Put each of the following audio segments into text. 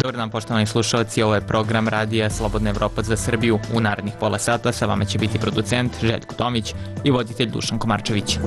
Dobar dan, poštovani slušalci, ovo je program Radija Slobodna Evropa za Srbiju. U narednih pola sata sa vama će biti producent Željko Tomić i voditelj Dušan Komarčević.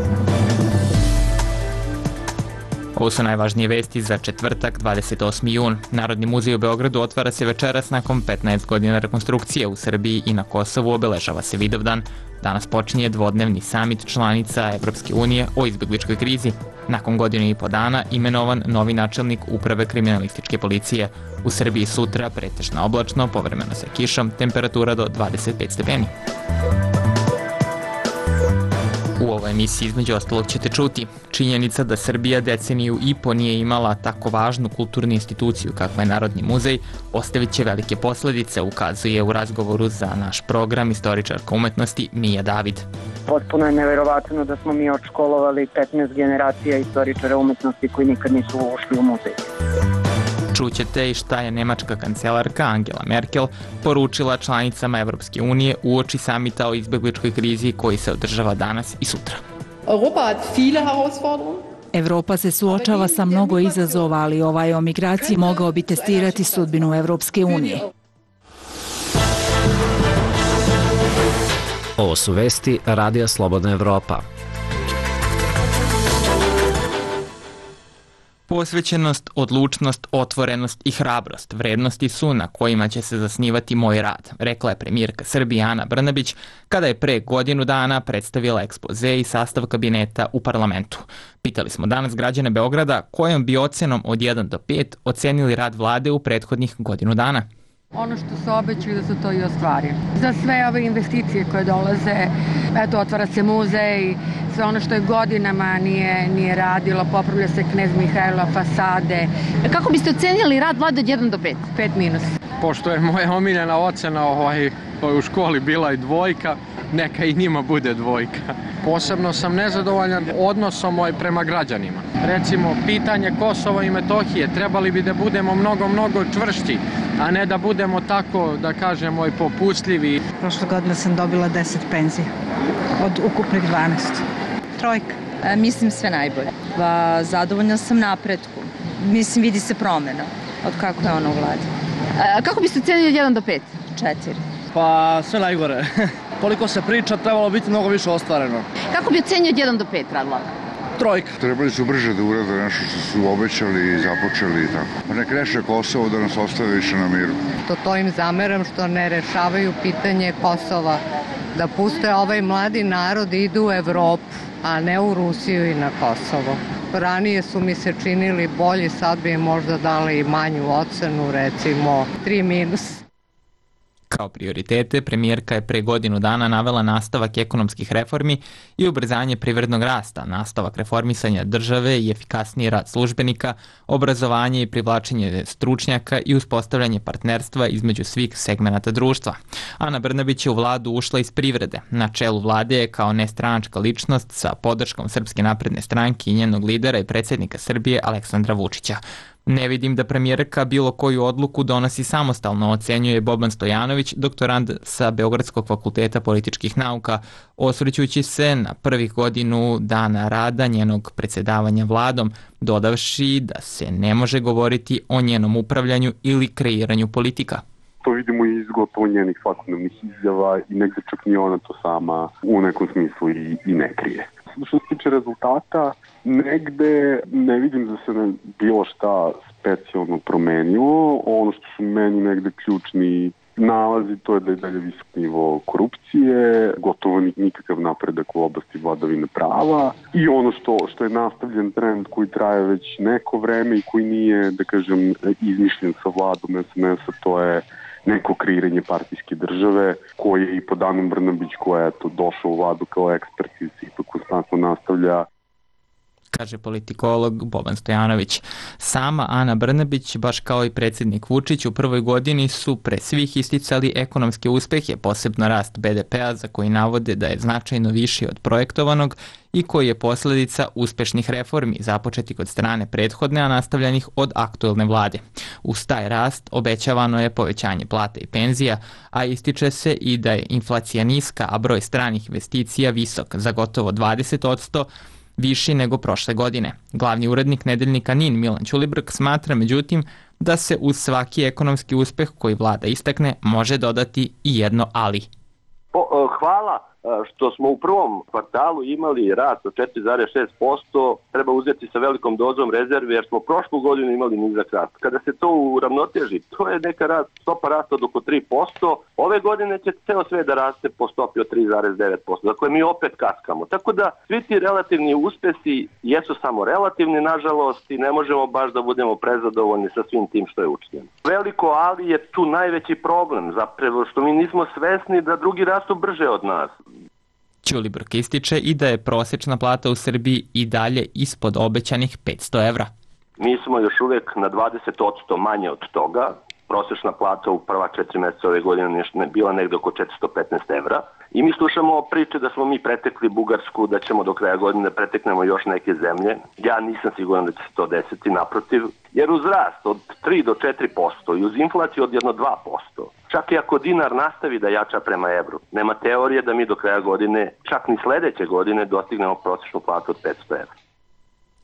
Ovo su najvažnije vesti za četvrtak, 28. jun. Narodni muzej u Beogradu otvara se večeras nakon 15 godina rekonstrukcije. U Srbiji i na Kosovu obeležava se Vidovdan. Danas počinje dvodnevni samit članica Evropske unije o izbegličkoj krizi. Nakon godinu i po dana imenovan novi načelnik uprave kriminalističke policije. U Srbiji sutra pretežno oblačno, povremeno sa kišom, temperatura do 25 stepeni. U ovoj emisiji između ostalog ćete čuti činjenica da Srbija deceniju i po nije imala tako važnu kulturnu instituciju kakva je Narodni muzej, ostavit će velike posledice, ukazuje u razgovoru za naš program istoričarka umetnosti Mija David. Potpuno je neverovatno da smo mi odškolovali 15 generacija istoričara umetnosti koji nikad nisu ušli u muzej. Čućete i šta je nemačka kancelarka Angela Merkel poručila članicama Evropske unije uoči samita o izbegličkoj krizi koji se održava danas i sutra. Evropa se suočava sa mnogo izazova, ali ovaj o migraciji mogao bi testirati sudbinu Evropske unije. Ovo su vesti Radija Slobodna Evropa. Posvećenost, odlučnost, otvorenost i hrabrost vrednosti su na kojima će se zasnivati moj rad, rekla je premijerka Srbije Ana Brnabić kada je pre godinu dana predstavila ekspoze i sastav kabineta u parlamentu. Pitali smo danas građane Beograda kojom bi ocenom od 1 do 5 ocenili rad vlade u prethodnih godinu dana. Ono što se obećaju da se to i ostvari. Za sve ove investicije koje dolaze, eto, otvara se muzej, sve ono što je godinama nije radilo, popravlja se Knez Mihajlova fasade. Kako biste ocenili rad vlade od 1 do 5? 5 minus. Pošto je moja omiljena ocena u školi bila i 2, neka i njima bude 2. Posebno sam nezadovoljan odnosom prema građanima. Recimo, pitanje Kosova i Metohije, trebali bi da budemo mnogo čvršći, a ne da budemo tako, da kažemo, popustljivi. Prošle godine sam dobila 10 penzija od ukupnih 12. 3. Mislim sve najbolje. Zadovoljna sam napretku. Mislim, vidi se promjena od kako je ona u vladi. Kako biste ocenili od 1 do 5? 4. Pa sve najgore. Koliko se priča, trebalo biti mnogo više ostvareno. Kako bi ocenio od 1 do 5 rad vlade? 3. Trebali su brže da urade nešto što su obećali i započeli i tako. Pa nek reše Kosovo da nas ostave više na miru. To im zameram što ne rešavaju pitanje Kosova. Da puste ovaj mladi narod i idu u Evropu, a ne u Rusiju i na Kosovo. Ranije su mi se činili bolji, sad bi im možda dali manju ocenu, recimo 3 minus. Kao prioritete, premijerka je pre godinu dana navela nastavak ekonomskih reformi i ubrzanje privrednog rasta, nastavak reformisanja države i efikasniji rad službenika, obrazovanje i privlačenje stručnjaka i uspostavljanje partnerstva između svih segmenata društva. Ana Brnabić je u vladu ušla iz privrede. Na čelu vlade je kao nestranačka ličnost sa podrškom Srpske napredne stranke i njenog lidera i predsjednika Srbije Aleksandra Vučića. Ne vidim da premijerka bilo koju odluku donosi samostalno, ocenjuje Boban Stojanović, doktorant sa Beogradskog fakulteta političkih nauka, osvrćući se na prvih godinu dana rada njenog predsjedavanja vladom, dodavši da se ne može govoriti o njenom upravljanju ili kreiranju politika. To vidimo i iz gotovo njenih svakodnevnih izjava i negde čak ni ona to sama u nekom smislu i ne krije. Što se tiče rezultata, negde ne vidim da se bilo šta specijalno promenilo. Ono što su meni negde ključni nalazi, to je da je dalje visok nivo korupcije, gotovo nikakav napredak u oblasti vladavine prava i ono što je nastavljen trend koji traje već neko vreme i koji nije, da kažem, izmišljen sa vladom SNS-a, to je neko kreiranje partijske države koje i po Anu Brnabić koja je došla u vladu kao ekspert i se ipak konstantno nastavlja. Kaže politikolog Boban Stojanović. Sama Ana Brnabić, baš kao i predsjednik Vučić, u prvoj godini su pre svih isticali ekonomske uspehe, posebno rast BDP-a za koji navode da je značajno viši od projektovanog i koji je posljedica uspešnih reformi započetih od strane prethodne, a nastavljanih od aktuelne vlade. Uz taj rast obećavano je povećanje plata i penzija, a ističe se i da je inflacija niska, a broj stranih investicija visok za gotovo 20%, viši nego prošle godine. Glavni urednik nedeljnika NIN Milan Ćulibrk smatra međutim da se uz svaki ekonomski uspeh koji vlada istakne može dodati i jedno ali. Hvala što smo u prvom kvartalu imali rast od 4,6%, treba uzeti sa velikom dozom rezerve jer smo prošlu godinu imali nizak rast. Kada se to uravnoteži, to je neka stopa rasta od oko 3%, ove godine će ceo sve da raste po stopi od 3,9%, dakle mi opet kaskamo. Tako da svi ti relativni uspesi jesu samo relativni, nažalost, i ne možemo baš da budemo prezadovoljni sa svim tim što je učinjeno. Veliko ali je tu najveći problem, zapravo što mi nismo svesni da drugi rastu brže od nas. Ćulibrk ističe i da je prosječna plata u Srbiji i dalje ispod obećanih 500 evra. Mi smo još uvijek na 20% manje od toga. Prosječna plata u prva 4 mjeseca ove godine je bila negdje oko 415 evra. I mi slušamo priče da smo mi pretekli Bugarsku, da ćemo do kraja godine preteknemo još neke zemlje. Ja nisam siguran da će se to desiti, naprotiv. Jer uz rast od 3 do 4% i uz inflaciju od 1-2%, čak i ako dinar nastavi da jača prema evru, nema teorije da mi do kraja godine, čak ni sljedeće godine, dostignemo prosječnu platu od 500 evra.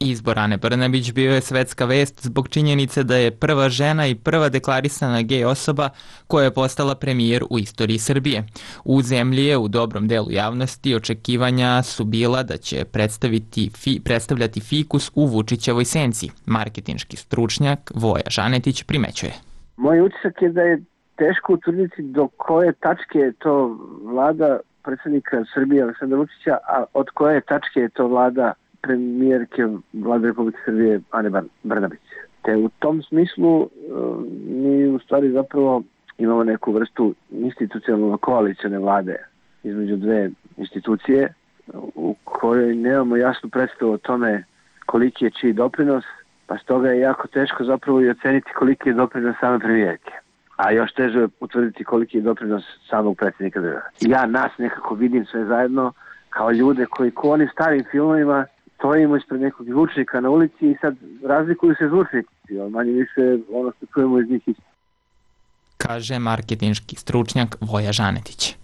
Izbor Ane Brnabić bio je svetska vest zbog činjenice da je prva žena i prva deklarisana gej osoba koja je postala premijer u istoriji Srbije. U zemlji je u dobrom delu javnosti očekivanja su bila da će predstavljati fikus u Vučićevoj senci. Marketinški stručnjak Voja Žanetić primećuje. Moj utisak je da je teško utvrditi do koje tačke je to vlada predsjednika Srbije Aleksandra Vučića, a od koje tačke je to vlada premijerke Vlade Republike Srbije Ane Brnabić. Te u tom smislu mi u stvari zapravo imamo neku vrstu institucionalno koalicijne vlade između dve institucije u kojoj nemamo jasnu predstavu o tome koliki je čiji doprinos, pa stoga je jako teško zapravo i oceniti koliki je doprinos same premijerke. A još teže je utvrditi koliki je doprinos samog predsjednika države. Ja nas nekako vidim sve zajedno kao ljude koji ko onim starim filmovima stojimo ispred nekog zvučnika na ulici i sad razlikuju se zvučnici, ali manje više ono što čujemo iz njih isto. Kaže marketinški stručnjak Voja Žanetić.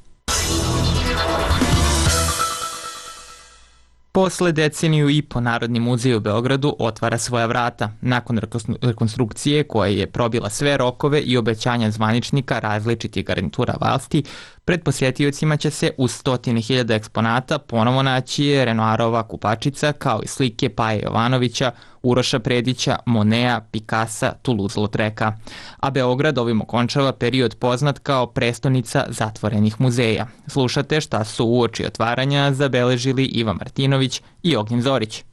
Posle deceniju i po Narodni muzej u Beogradu otvara svoja vrata. Nakon rekonstrukcije koja je probila sve rokove i obećanja zvaničnika različitih garnitura vlasti, pred posjetiocima će se uz 100.000 eksponata ponovo naći Renoirova kupačica kao i slike Paje Jovanovića, Uroša Predića, Monea, Picassa, Toulouse-Lautreka. A Beograd ovim okončava period poznat kao prestonica zatvorenih muzeja. Slušate šta su uoči otvaranja zabeležili Iva Martinović i Ognjen Zorić.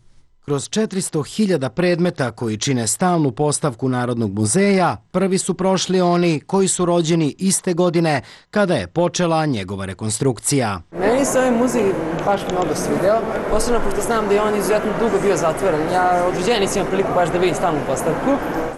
Kroz 400.000 predmeta koji čine stalnu postavku Narodnog muzeja, prvi su prošli oni koji su rođeni iste godine kada je počela njegova rekonstrukcija. Meni se ovaj muzej baš mnogo svideo, posebno pošto znam da je on izuzetno dugo bio zatvoren. Ja od rođenja nisam imao priliku baš da vidim stalnu postavku.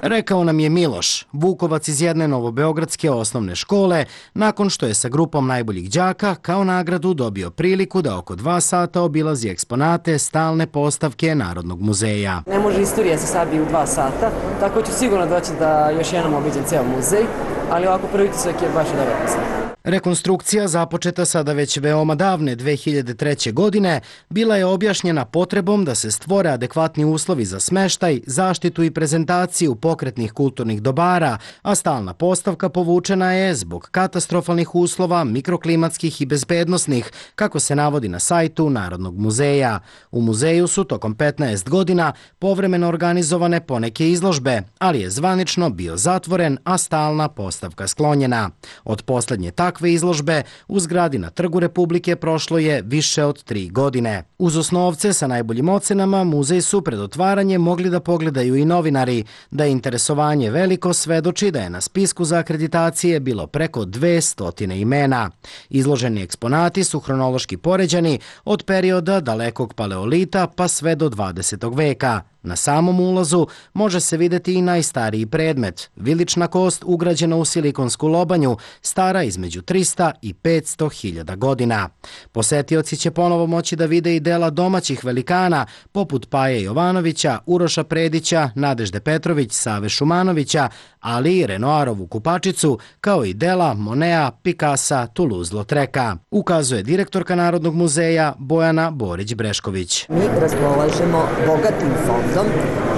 Rekao nam je Miloš, Vukovac iz jedne novobeogradske osnovne škole, nakon što je sa grupom najboljih đaka kao nagradu dobio priliku da oko 2 sata obilazi eksponate stalne postavke Narodnog muzeja. Ne može istorija se sabi u 2 sata, tako ću sigurno doći da još jednom obiđem ceo muzej, ali ovako prvi utisak je baš dobro muzej. Rekonstrukcija, započeta sada već veoma davne 2003. godine, bila je objašnjena potrebom da se stvore adekvatni uslovi za smeštaj, zaštitu i prezentaciju pokretnih kulturnih dobara, a stalna postavka povučena je zbog katastrofalnih uslova, mikroklimatskih i bezbednosnih, kako se navodi na sajtu Narodnog muzeja. U muzeju su tokom 15 godina povremeno organizovane poneke izložbe, ali je zvanično bio zatvoren, a stalna postavka sklonjena. Od poslednje takve izložbe u zgradi na Trgu Republike prošlo je više od 3 godine. Uz osnovce sa najboljim ocenama muzej su pred otvaranjem mogli da pogledaju i novinari. Da je interesovanje veliko svedoči da je na spisku za akreditacije bilo preko 200 imena. Izloženi eksponati su hronološki poređani od perioda dalekog paleolita pa sve do 20. veka. Na samom ulazu može se vidjeti i najstariji predmet, vilična kost ugrađena u silikonsku lobanju, stara između 300 i 500 hiljada godina. Posetioci će ponovo moći da vide i dela domaćih velikana, poput Paje Jovanovića, Uroša Predića, Nadežde Petrović, Save Šumanovića, ali i Renoirovu Kupačicu, kao i dela Monea, Picassa, Toulouse-Lautreka, ukazuje direktorka Narodnog muzeja Bojana Borić-Brešković. Mi raspolažemo bogatim fondom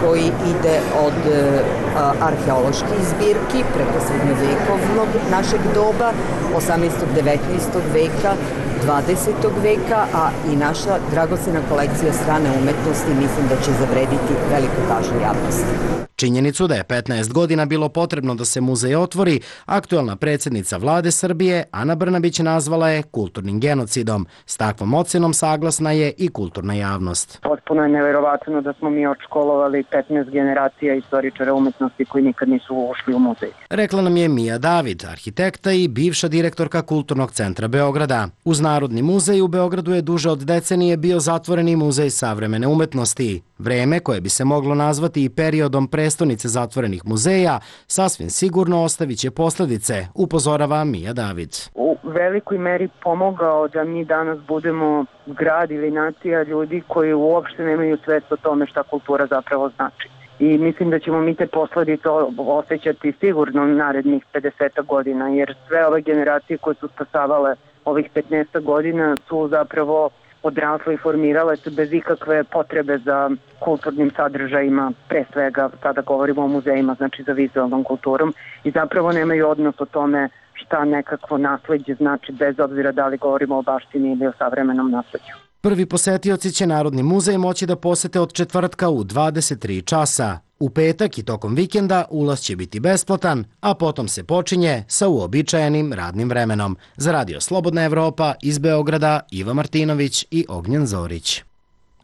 koji ide od arheoloških zbirki preko srednjovekovnog našeg doba, 18. 19. veka, 20. veka, a i naša dragocena kolekcija strane umetnosti mislim da će zavrediti veliku pažnju javnosti. Činjenicu da je 15 godina bilo potrebno da se muzej otvori, aktuelna predsjednica vlade Srbije Ana Brnabić nazvala je kulturnim genocidom. S takvom ocenom saglasna je i kulturna javnost. Potpuno je neverovatno da smo mi odškolovali 15 generacija istoričara umetnosti koji nikad nisu ušli u muzej. Rekla nam je Mija David, arhitekta i bivša direktorka Kulturnog centra Beograda. Uz Narodni muzej u Beogradu je duže od decenije bio zatvoreni muzej savremene umetnosti. Vreme koje bi se moglo nazvati i periodom prestonice zatvorenih muzeja sasvim sigurno ostavit će posljedice, upozorava Mija David. U velikoj meri pomogao da mi danas budemo grad ili nacija ljudi koji uopšte nemaju svest o tome šta kultura zapravo znači. I mislim da ćemo mi te posledice osjećati sigurno narednih 50 godina, jer sve ove generacije koje su stasavale ovih 15 godina su zapravo odrasle i formirale se bez ikakve potrebe za kulturnim sadržajima, pre svega sada govorimo o muzejima, znači za vizualnom kulturom, i zapravo nemaju odnos o tome šta nekakvo nasleđe znači, bez obzira da li govorimo o baštini ili o savremenom nasleđu. Prvi posetioci će Narodni muzej moći da posete od četvrtka u 23 časa. U petak i tokom vikenda ulaz će biti besplatan, a potom se počinje sa uobičajenim radnim vremenom. Za Radio Slobodna Evropa iz Beograda Iva Martinović i Ognjen Zorić.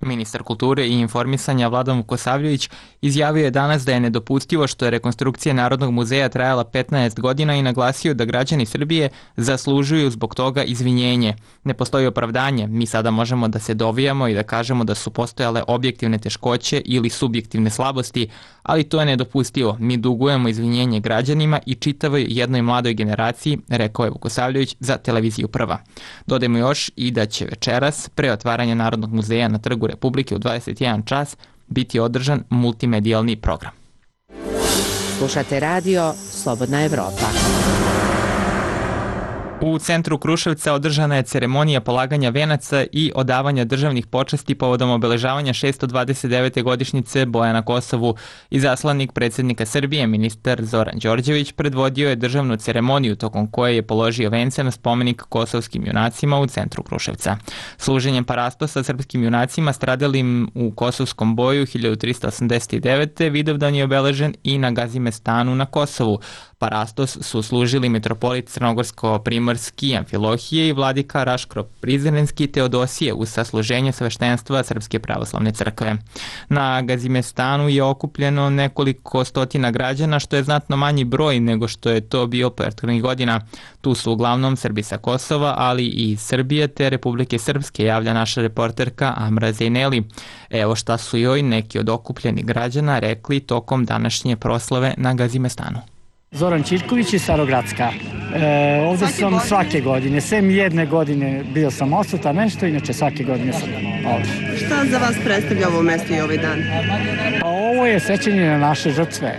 Ministar kulture i informisanja Vladan Vukosavljević izjavio je danas da je nedopustivo što je rekonstrukcija Narodnog muzeja trajala 15 godina i naglasio da građani Srbije zaslužuju zbog toga izvinjenje. Ne postoji opravdanje, mi sada možemo da se dovijamo i da kažemo da su postojale objektivne teškoće ili subjektivne slabosti, ali to je nedopustivo. Mi dugujemo izvinjenje građanima i čitavoj jednoj mladoj generaciji, rekao je Vukosavljević za televiziju Prva. Dodajmo još i da će večeras, pre otvaranja Narodnog muzeja na Trgu Republike u 21 čas, biti održan multimedijalni program. Slušate radio Slobodna Evropa. U centru Kruševca održana je ceremonija polaganja venaca i odavanja državnih počasti povodom obeležavanja 629. godišnjice boja na Kosovu. Izaslanik predsjednika Srbije, ministar Zoran Đorđević, predvodio je državnu ceremoniju tokom koje je položio vence na spomenik kosovskim junacima u centru Kruševca. Služenjem parastosa srpskim junacima stradalim u kosovskom boju 1389. Vidovdan je obeležen i na Gazimestanu na Kosovu. Parastos su služili mitropolit Crnogorsko-Primorski Amfilohije i vladika Raško-Prizrenski Teodosije uz sasluženje sveštenstva Srpske pravoslavne crkve. Na Gazimestanu je okupljeno nekoliko stotina građana, što je znatno manji broj nego što je to bio prethodnih godina. Tu su uglavnom Srbi sa Kosova, ali i iz Srbije te Republike Srpske, javlja naša reporterka Amra Zejneli. Evo šta su joj neki od okupljenih građana rekli tokom današnje proslave na Gazimestanu. Zoran Ćirković iz Starogradska. Ovdje sam svake godine, sem jedne godine bio sam odsutan nešto, inače svake godine sam ovdje. Šta za vas predstavlja ovo mesto i ovaj dan? Pa ovo je sećanje na naše žrtve.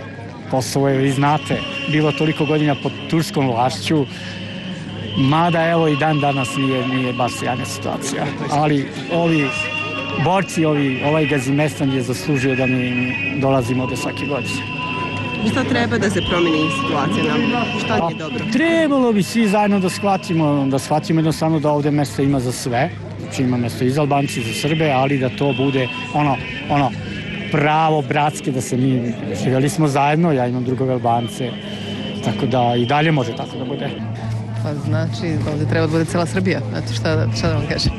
Kosovo je, vi znate, bilo toliko godina pod turskom vlašću, mada evo i dan danas nije baš sjajna situacija. Ali ovi borci, ovaj Gazimestan je zaslužio da mi dolazimo ovdje svake godine. Šta treba da se promeni situacija nam? Šta nije dobro? Trebalo bi svi zajedno da shvatimo jednostavno da ovdje mjesto ima za sve. Znači ima mjesto i za Albanci, i za Srbe, ali da to bude ono pravo, bratske, da se mi živjeli smo zajedno, ja imam drugove Albance, tako da i dalje može tako da bude. Pa znači ovdje treba da bude cela Srbija, znači šta da vam kažem.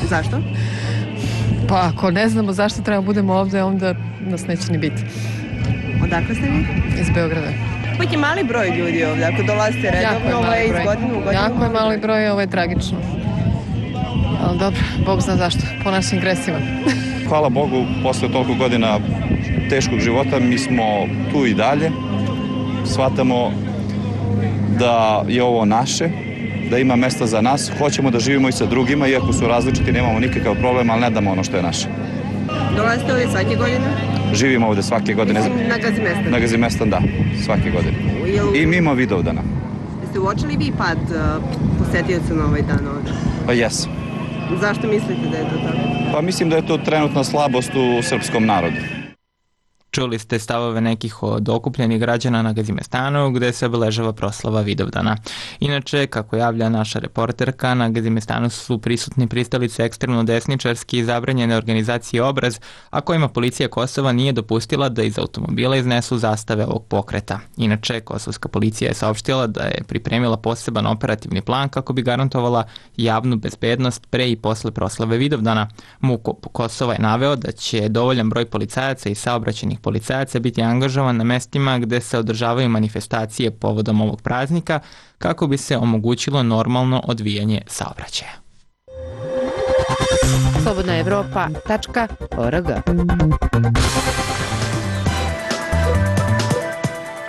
Zašto? Pa ako ne znamo zašto treba budemo ovdje, onda nas neće ni biti. Odakle ste vi? Iz Beograda. Ipak je mali broj ljudi ovdje, ako dolazite redovno, ovo je iz godine u godinu. Jako je mali broj, ovo je tragično. Ali dobro, Bog zna zašto, po našim gresima. Hvala Bogu, posle toliko godina teškog života, mi smo tu i dalje. Shvatamo da je ovo naše, da ima mesta za nas. Hoćemo da živimo i sa drugima, iako su različiti, nemamo nikakav problem, ali ne damo ono što je naše. Dolazite ovdje svake godine? Živimo ovdje svake godine. Na Gazimestan? Na Gazimestan, da, svake godine. I mimo Vidovdana. Jeste uočili vi pad posetioca na ovaj dan ovdje? Pa jes. Zašto mislite da je to tako? Pa mislim da je to trenutna slabost u srpskom narodu. Čuli ste stavove nekih od okupljenih građana na Gazimestanu gde se obeležava proslava Vidovdana. Inače, kako javlja naša reporterka, na Gazimestanu su prisutni pristalice ekstremno desničarski i zabranjene organizacije Obraz, a kojima policija Kosova nije dopustila da iz automobila iznesu zastave ovog pokreta. Inače, kosovska policija je saopštila da je pripremila poseban operativni plan kako bi garantovala javnu bezbednost pre i posle proslave Vidovdana. MUP Kosova je naveo da će dovoljan broj policajaca i saobraćajnih policajaca biti angažovan na mestima gde se održavaju manifestacije povodom ovog praznika kako bi se omogućilo normalno odvijanje saobraćaja. slobodnaevropa.org.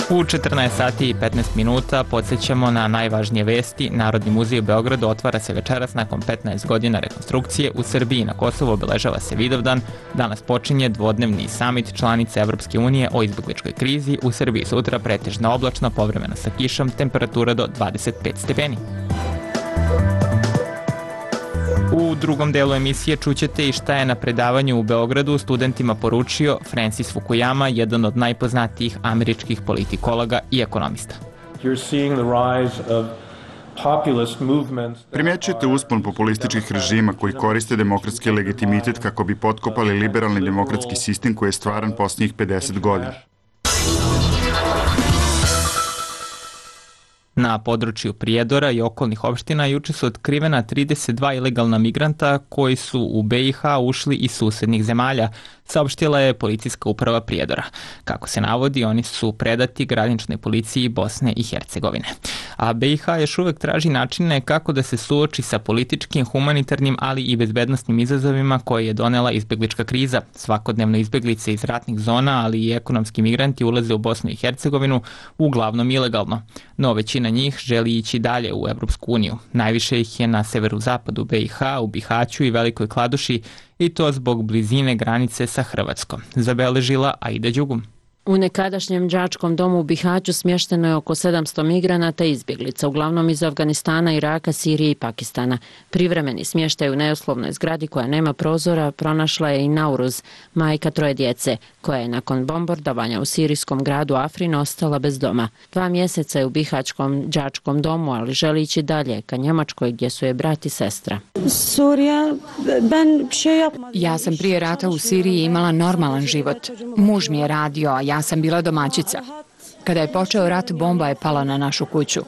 U 14 sati i 15 minuta podsjećamo na najvažnije vesti. Narodni muzej u Beogradu otvara se večeras nakon 15 godina rekonstrukcije. U Srbiji i na Kosovu obeležava se Vidovdan. Danas počinje dvodnevni samit članice Evropske unije o izbegličkoj krizi. U Srbiji sutra pretežno oblačno, povremeno sa kišom, temperatura do 25 stepeni. U drugom delu emisije čućete i šta je na predavanju u Beogradu studentima poručio Francis Fukuyama, jedan od najpoznatijih američkih politikologa i ekonomista. Primjećujete uspon populističkih režima koji koriste demokratski legitimitet kako bi potkopali liberalni demokratski sistem koji je stvaran posljednjih 50 godina. Na području Prijedora i okolnih opština juče su otkrivena 32 ilegalna migranta koji su u BiH ušli iz susednih zemalja, saopštila je policijska uprava Prijedora. Kako se navodi, oni su predati graničnoj policiji Bosne i Hercegovine. A BiH još uvek traži načine kako da se suoči sa političkim, humanitarnim, ali i bezbednosnim izazovima koje je donela izbeglička kriza. Svakodnevno izbeglice iz ratnih zona, ali i ekonomski migranti ulaze u Bosnu i Hercegovinu, uglavnom ilegalno. No većina njih želi ići dalje u Evropsku uniju. Najviše ih je na severozapadu BiH, u Bihaću i Velikoj Kladuši, i to zbog blizine granice sa Hrvatskom, zabeležila Aida Đugum. U nekadašnjem đačkom domu u Bihaću smješteno je oko 700 migranata i izbjeglica, uglavnom iz Afganistana, Iraka, Sirije i Pakistana. Privremeni smještaj u neuslovnoj zgradi koja nema prozora pronašla je i Nauruz, majka 3 djece, koja je nakon bombardovanja u sirijskom gradu Afrin ostala bez doma. 2 mjeseca je u bihaćkom đačkom domu, ali želi ići dalje, ka Njemačkoj gdje su je brat i sestra. Ja sam prije rata u Siriji imala normalan život. Muž mi je radio, a ja sam bila domaćica. Kada je počeo rat, bomba je pala na našu kuću.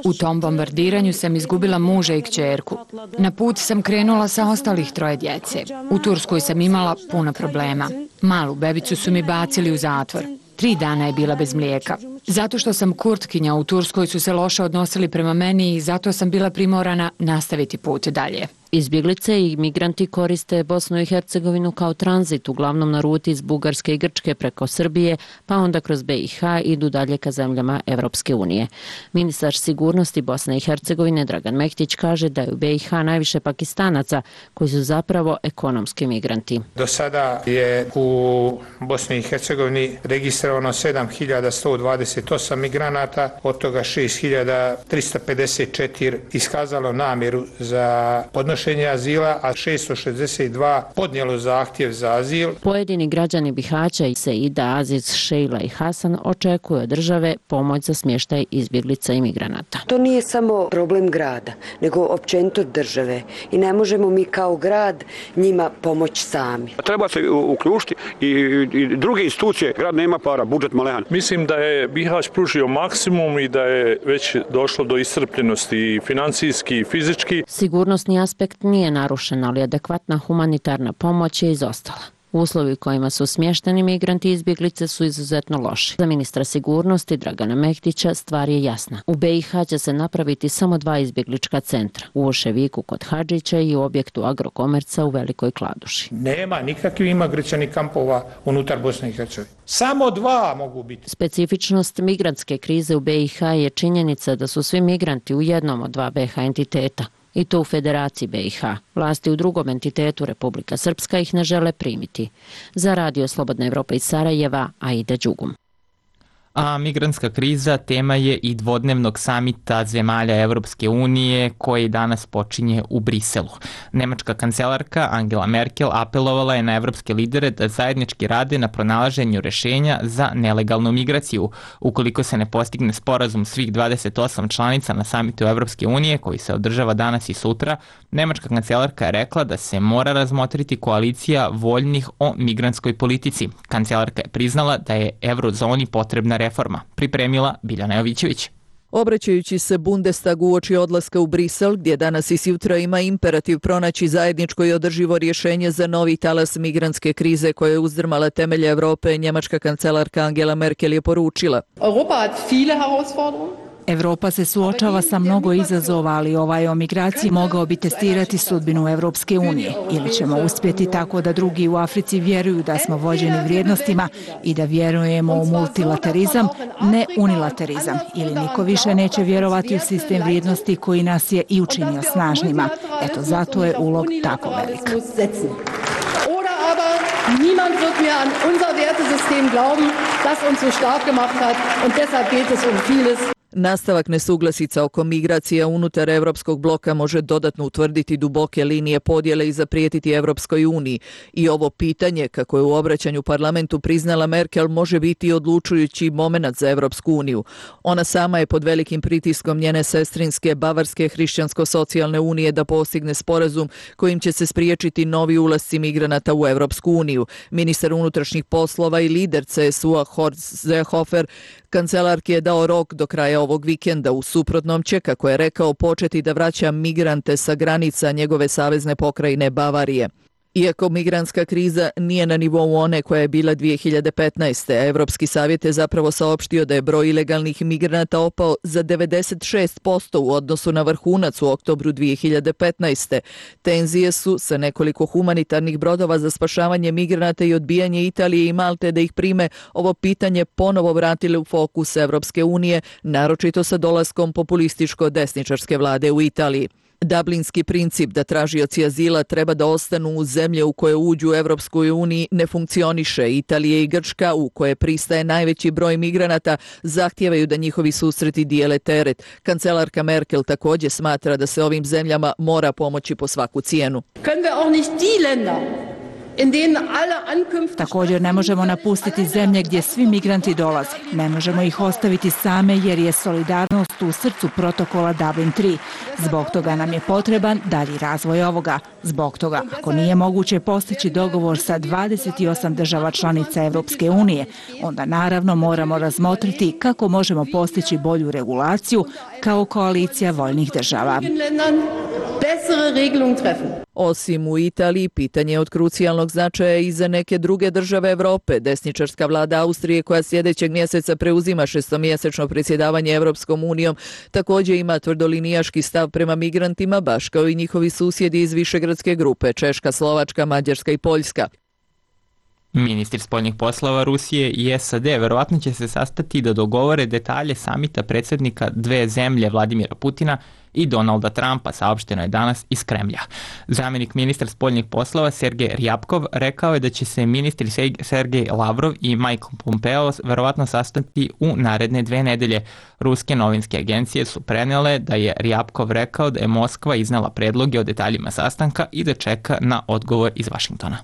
U tom bombardiranju sam izgubila muža i kćerku. Na put sam krenula sa ostalih 3 djece. U Turskoj sam imala puno problema. Malu bebicu su mi bacili u zatvor. 3 dana je bila bez mlijeka. Zato što sam Kurtkinja, u Turskoj su se loše odnosili prema meni i zato sam bila primorana nastaviti put dalje. Izbjeglice i migranti koriste Bosnu i Hercegovinu kao tranzit, uglavnom na ruti iz Bugarske i Grčke preko Srbije, pa onda kroz BiH idu dalje ka zemljama Evropske unije. Ministar sigurnosti Bosne i Hercegovine Dragan Mektić kaže da je u BiH najviše Pakistanaca koji su zapravo ekonomski migranti. Do sada je u Bosni i Hercegovini registrovano 7128 migranata, od toga 6354 iskazalo namjeru za podnošenje azila, a 662 podnijelo zahtjev za azil. Pojedini građani Bihaća i Seida, Aziz, Šejla i Hasan očekuju od države pomoć za smještaj izbjeglica i migranata. To nije samo problem grada, nego općenito države i ne možemo mi kao grad njima pomoći sami. Treba se uključiti i druge institucije, grad nema para, budžet malehan. Mislim da je Bihać pružio maksimum i da je već došlo do iscrpljenosti i financijski i fizički. Sigurnosni aspekt nije narušen, ali adekvatna humanitarna pomoć je izostala. Uslovi u kojima su smješteni migranti i izbjeglice su izuzetno loši. Za ministra sigurnosti Dragana Mehdića stvar je jasna. U BiH će se napraviti samo 2 izbjeglička centra. U Oševiku kod Hadžića i u objektu Agrokomerca u Velikoj Kladuši. Nema nikakvih imigracionih kampova unutar Bosne i Hercegovine. Samo 2 mogu biti. Specifičnost migrantske krize u BiH je činjenica da su svi migranti u jednom od 2 BiH entiteta. I to u Federaciji BiH. Vlasti u drugom entitetu Republika Srpska ih ne žele primiti. Za Radio Slobodna Evropa iz Sarajeva, Aida Đugum. A migrantska kriza tema je i dvodnevnog samita zemalja Evropske unije koji danas počinje u Briselu. Nemačka kancelarka Angela Merkel apelovala je na evropske lidere da zajednički rade na pronalaženju rešenja za nelegalnu migraciju. Ukoliko se ne postigne sporazum svih 28 članica na samitu Evropske unije koji se održava danas i sutra, nemačka kancelarka je rekla da se mora razmotriti koalicija voljnih o migrantskoj politici. Kancelarka je priznala da je eurozoni potrebna reforma. Pripremila Biljana Jovićević. Obraćajući se Bundestagu uoči odlaska u Brisel, gdje danas i sutra ima imperativ pronaći zajedničko i održivo rješenje za novi talas migrantske krize koja je uzdrmala temelje Evrope, njemačka kancelarka Angela Merkel je poručila. Europa hat viele Herausforderungen. Evropa se suočava sa mnogo izazova, ali ovaj o migraciji mogao bi testirati sudbinu Evropske unije. Ili ćemo uspjeti tako da drugi u Africi vjeruju da smo vođeni vrijednostima i da vjerujemo u multilaterizam, ne unilaterizam. Ili niko više neće vjerovati u sistem vrijednosti koji nas je i učinio snažnima. Eto, zato je ulog tako velik. Niemand wird mehr an unser Wertesystem glauben, das uns so stark gemacht hat, und deshalb geht es vieles. Nastavak nesuglasica oko migracija unutar Evropskog bloka može dodatno utvrditi duboke linije podjele i zaprijetiti Evropskoj uniji. I ovo pitanje, kako je u obraćanju parlamentu priznala Merkel, može biti odlučujući momenat za Evropsku uniju. Ona sama je pod velikim pritiskom njene sestrinske Bavarske hrišćansko-socijalne unije da postigne sporazum kojim će se spriječiti novi ulasci migranata u Evropsku uniju. Ministar unutrašnjih poslova i lider CSU-a Horst Seehofer kancelarki je dao rok do kraja ovog vikenda. U suprotnom će, kako je rekao, početi da vraća migrante sa granica njegove savezne pokrajine Bavarije. Iako migrantska kriza nije na nivou one koja je bila 2015. Evropski savjet je zapravo saopštio da je broj ilegalnih migranata opao za 96% u odnosu na vrhunac u oktobru 2015. Tenzije su sa nekoliko humanitarnih brodova za spašavanje migranata i odbijanje Italije i Malte da ih prime ovo pitanje ponovo vratile u fokus Evropske unije, naročito sa dolaskom populističko-desničarske vlade u Italiji. Dublinski princip da tražioci azila treba da ostanu u zemlje u koje uđu u Evropskoj uniji ne funkcioniše. Italija i Grčka, u koje pristaje najveći broj migranata, zahtijevaju da njihovi susreti dijele teret. Kancelarka Merkel također smatra da se ovim zemljama mora pomoći po svaku cijenu. Također ne možemo napustiti zemlje gdje svi migranti dolaze. Ne možemo ih ostaviti same jer je solidarnost u srcu protokola Dublin 3. Zbog toga nam je potreban dalji razvoj ovoga. Zbog toga, ako nije moguće postići dogovor sa 28 država članica Evropske unije, onda naravno moramo razmotriti kako možemo postići bolju regulaciju kao koalicija voljnih država. Osim u Italiji, pitanje je od krucijalnog značaja i za neke druge države Evrope. Desničarska vlada Austrije, koja sljedećeg mjeseca preuzima šestomjesečno predsjedavanje Evropskom unijom, također ima tvrdolinijaški stav prema migrantima, baš kao i njihovi susjedi iz Višegradske grupe, Češka, Slovačka, Mađarska i Poljska. Ministri spoljnih poslova Rusije i SAD verovatno će se sastati da dogovore detalje samita predsjednika dve zemlje Vladimira Putina i Donalda Trumpa, saopšteno je danas iz Kremlja. Zamjenik ministra spoljnih poslova Sergej Ryabkov rekao je da će se ministri Sergej Lavrov i Mike Pompeo verovatno sastati u naredne 2 nedelje. Ruske novinske agencije su prenijele da je Ryabkov rekao da je Moskva iznala predloge o detaljima sastanka i da čeka na odgovor iz Vašingtona.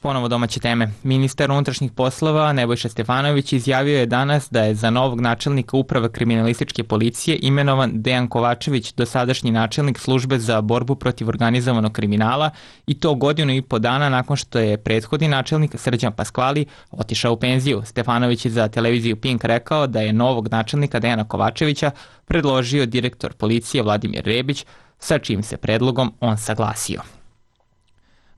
Ponovo domaće teme. Ministar unutrašnjih poslova Nebojša Stefanović izjavio je danas da je za novog načelnika uprave kriminalističke policije imenovan Dejan Kovačević, dosadašnji načelnik službe za borbu protiv organizovanog kriminala, i to 1,5 godina nakon što je prethodni načelnik Srđan Paskvali otišao u penziju. Stefanović je za televiziju Pink rekao da je novog načelnika Dejana Kovačevića predložio direktor policije Vladimir Rebić, sa čijim se predlogom on saglasio.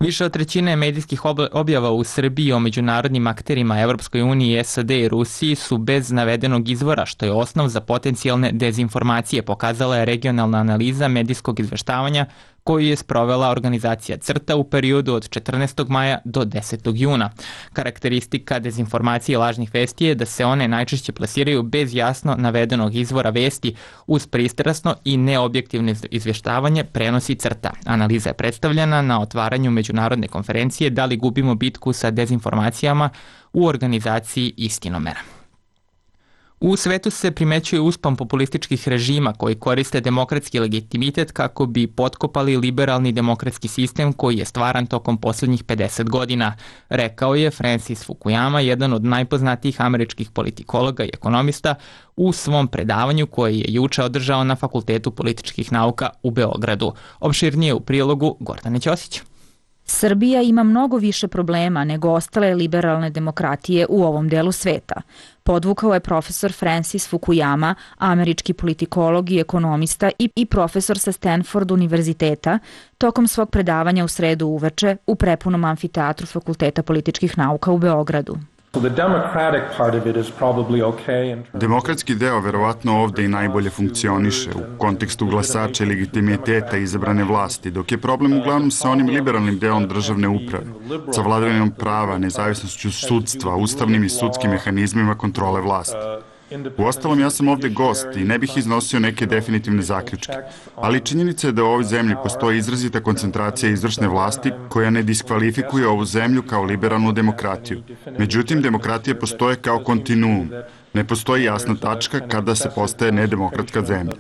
Više od trećine medijskih objava u Srbiji o međunarodnim akterima Evropskoj uniji, SAD i Rusiji su bez navedenog izvora, što je osnov za potencijalne dezinformacije, pokazala je regionalna analiza medijskog izveštavanja koju je sprovela organizacija CRTA u periodu od 14. maja do 10. juna. Karakteristika dezinformacije i lažnih vesti je da se one najčešće plasiraju bez jasno navedenog izvora vesti uz pristrasno i neobjektivno izvještavanje, prenosi CRTA. Analiza je predstavljena na otvaranju međunarodne konferencije Da li gubimo bitku sa dezinformacijama u organizaciji Istinomera. U svetu se primećuje uspon populističkih režima koji koriste demokratski legitimitet kako bi potkopali liberalni demokratski sistem koji je stvaran tokom posljednjih 50 godina, rekao je Francis Fukuyama, jedan od najpoznatijih američkih politikologa i ekonomista, u svom predavanju koje je juče održao na Fakultetu političkih nauka u Beogradu. Opširnije u prilogu Gordane Ćosić. Srbija ima mnogo više problema nego ostale liberalne demokratije u ovom delu sveta. Podvukao je profesor Francis Fukuyama, američki politikolog i ekonomista i profesor sa Stanford univerziteta, tokom svog predavanja u sredu uveče u prepunom amfiteatru Fakulteta političkih nauka u Beogradu. Demokratski deo verovatno ovde i najbolje funkcioniše u kontekstu glasača i legitimiteta izabrane vlasti, dok je problem uglavnom sa onim liberalnim delom državne uprave, sa vladavinom prava, nezavisnošću sudstva, ustavnim i sudskim mehanizmima kontrole vlasti. Uostalom, ja sam ovde gost i ne bih iznosio neke definitivne zaključke, ali činjenica je da u ovoj zemlji postoji izrazita koncentracija izvršne vlasti koja ne diskvalifikuje ovu zemlju kao liberalnu demokratiju. Međutim, demokratija postoje kao kontinuum. Ne postoji jasna tačka kada se postaje nedemokratska zemlja.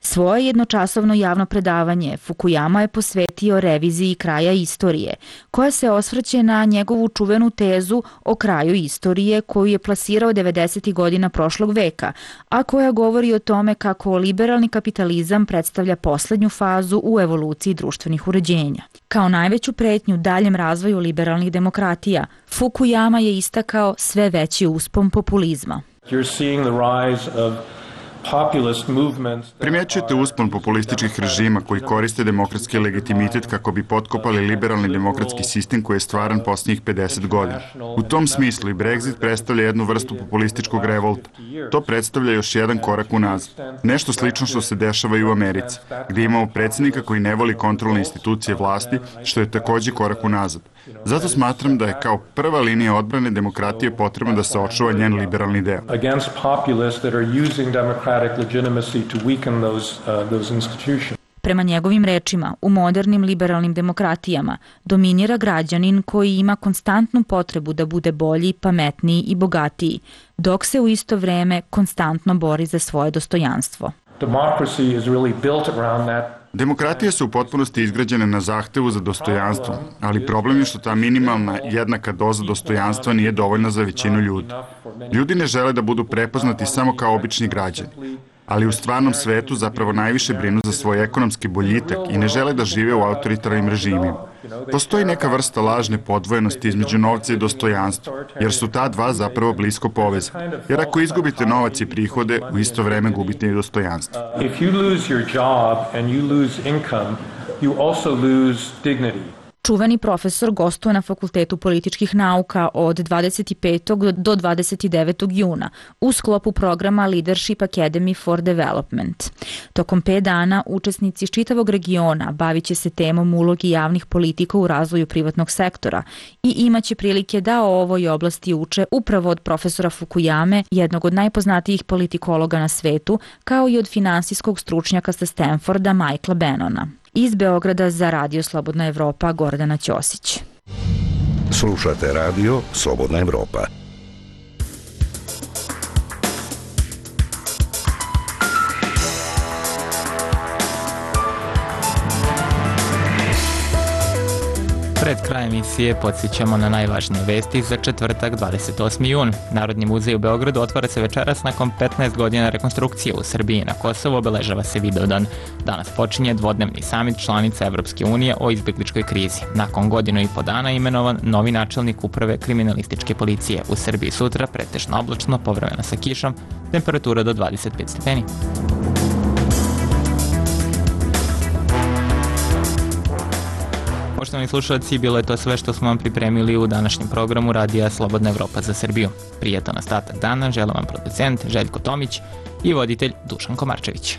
Svoje jednočasovno javno predavanje Fukuyama je posvetio reviziji kraja istorije, koja se osvrće na njegovu čuvenu tezu o kraju istorije koju je plasirao 90. godina prošlog veka, a koja govori o tome kako liberalni kapitalizam predstavlja poslednju fazu u evoluciji društvenih uređenja. Kao najveću pretnju daljem razvoju liberalnih demokratija, Fukuyama je istakao sve veći uspon populizma. Primjećujete uspon populističkih režima koji koriste demokratski legitimitet kako bi potkopali liberalni demokratski sistem koji je stvaran posljednjih 50 godina. U tom smislu i Brexit predstavlja jednu vrstu populističkog revolta. To predstavlja još jedan korak unazad. Nešto slično što se dešava i u Americi, gdje imamo predsjednika koji ne voli kontrolne institucije vlasti, što je također korak unazad. Zato smatram da je kao prva linija odbrane demokratije potrebno da se očuva njen liberalni deo. Prema njegovim rečima, u modernim liberalnim demokratijama dominira građanin koji ima konstantnu potrebu da bude bolji, pametniji i bogatiji, dok se u isto vreme konstantno bori za svoje dostojanstvo. Demokratije su u potpunosti izgrađene na zahtevu za dostojanstvo, ali problem je što ta minimalna jednaka doza dostojanstva nije dovoljna za većinu ljudi. Ljudi ne žele da budu prepoznati samo kao obični građani, ali u stvarnom svetu zapravo najviše brinu za svoj ekonomski boljitak i ne žele da žive u autoritarnim režimima. Postoji neka vrsta lažne podvojenosti između novca i dostojanstva, jer su ta dva zapravo blisko povezani. Jer ako izgubite novac i prihode, u isto vreme gubite i dostojanstvo. Čuveni profesor gostuje na Fakultetu političkih nauka od 25. do 29. juna u sklopu programa Leadership Academy for Development. Tokom 5 dana učesnici iz čitavog regiona bavit će se temom ulogi javnih politika u razvoju privatnog sektora i imaće prilike da o ovoj oblasti uče upravo od profesora Fukuyame, jednog od najpoznatijih politikologa na svetu, kao i od finansijskog stručnjaka sa Stanforda Michaela Bannona. Iz Beograda za Radio Slobodna Evropa, Gordana Ćosić. Slušate Radio Slobodna Evropa. Pred krajem emisije podsjećamo na najvažnije vesti za četvrtak 28. jun. Narodni muzej u Beogradu otvara se večeras nakon 15 godina rekonstrukcije. U Srbiji i na Kosovu obeležava se Vidovdan. Danas počinje dvodnevni samit članica Evropske unije o izbjegličkoj krizi. Nakon godinu i po dana imenovan novi načelnik uprave kriminalističke policije. U Srbiji sutra pretežno oblačno, povremeno sa kišom, temperatura do 25 stepeni. Poštovani slušalci, bilo je to sve što smo vam pripremili u današnjem programu Radija Slobodna Evropa za Srbiju. Prijetan ostatak dana žele vam producent Željko Tomić i voditelj Dušan Komarčević.